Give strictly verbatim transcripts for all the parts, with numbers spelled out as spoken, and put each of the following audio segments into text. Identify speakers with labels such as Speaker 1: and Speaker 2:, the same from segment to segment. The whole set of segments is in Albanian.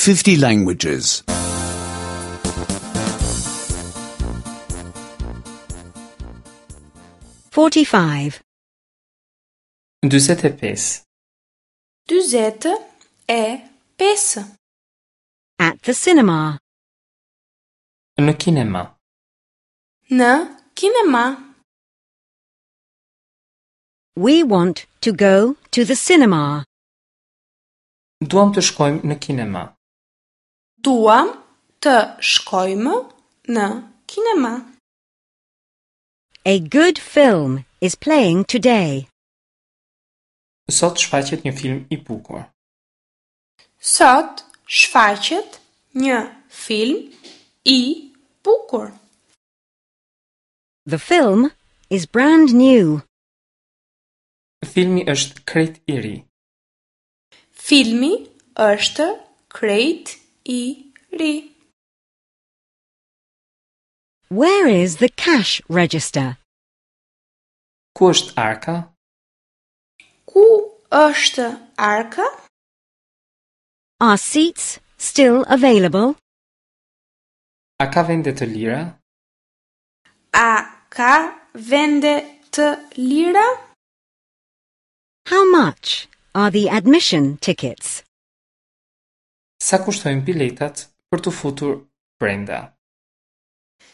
Speaker 1: fifty languages.
Speaker 2: forty-five.
Speaker 3: dyzet e pesë.
Speaker 4: Dyzet e pesë.
Speaker 2: At the cinema.
Speaker 3: Në kinema.
Speaker 4: Në kinema.
Speaker 2: We want to go to the cinema.
Speaker 3: Duam të shkojmë në kinema.
Speaker 4: Duam të shkojmë në kinema.
Speaker 2: A good film is playing today.
Speaker 3: Sot shfaqet një film i bukur.
Speaker 4: Sot shfaqet një film i bukur.
Speaker 2: The film is brand new.
Speaker 3: Filmi është krejt i ri.
Speaker 4: Filmi është krejt i ri.
Speaker 2: Where is the cash register?
Speaker 3: Ku është arka?
Speaker 4: Ku është arka?
Speaker 2: Are seats still available?
Speaker 3: A ka vende të lira?
Speaker 4: A ka vende të lira?
Speaker 2: How much are the admission tickets?
Speaker 3: Sa kushtojnë biletat për t'u futur brenda?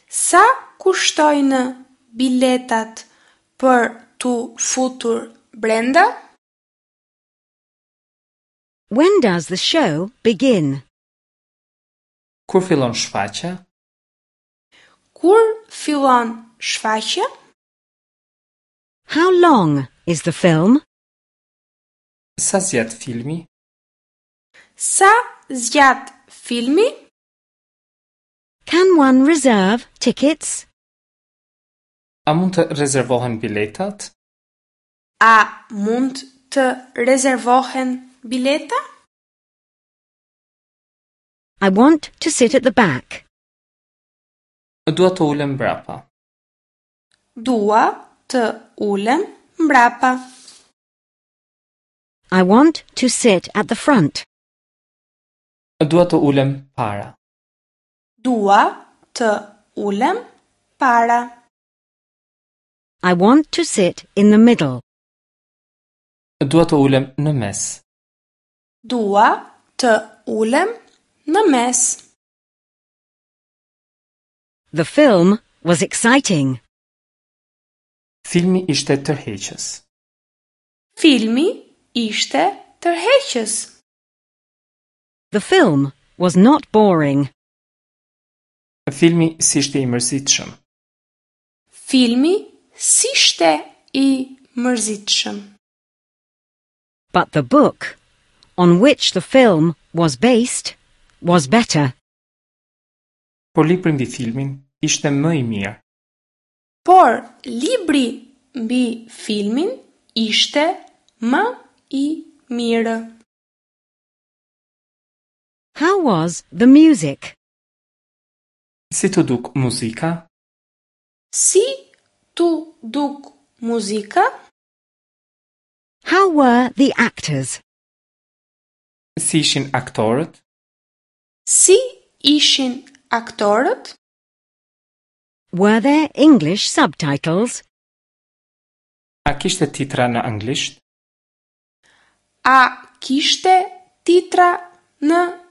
Speaker 4: Sa kushtojnë biletat për t'u futur brenda?
Speaker 2: When does the show begin?
Speaker 3: Kur fillon shfaqja?
Speaker 4: Kur fillon shfaqja?
Speaker 2: How long is the film?
Speaker 3: Sa zgjat filmi?
Speaker 4: Sa zgjat filmi?
Speaker 2: Can one reserve tickets?
Speaker 3: A mund të rezervohen biletat?
Speaker 4: A mund të rezervohen bileta?
Speaker 2: I want to sit at the back.
Speaker 3: Dua të ulem mbrapa.
Speaker 4: Dua të ulem mbrapa.
Speaker 2: I want to sit at the front.
Speaker 3: Dua të ulem para.
Speaker 4: Dua të ulem para.
Speaker 2: I want to sit in the middle.
Speaker 3: Dua të ulem në mes.
Speaker 4: Dua të ulem në mes.
Speaker 2: The film was exciting.
Speaker 3: Filmi ishte tërheqës.
Speaker 4: Filmi ishte tërheqës.
Speaker 2: The film was not boring.
Speaker 3: Filmi s'ishte i mërzitshëm.
Speaker 4: Filmi s'ishte i mërzitshëm.
Speaker 2: But the book, on which the film was based, was better.
Speaker 3: Por libri mbi filmin ishte më i mirë.
Speaker 4: Por libri mbi filmin ishte më i mirë.
Speaker 2: How was the music?
Speaker 3: Si t'u duk muzika?
Speaker 4: Si t'u duk muzika?
Speaker 2: How were the actors?
Speaker 3: Si ishin aktorët?
Speaker 4: Si ishin aktorët?
Speaker 2: Were there English subtitles?
Speaker 3: A kishte titra në anglisht?
Speaker 4: A kishte titra në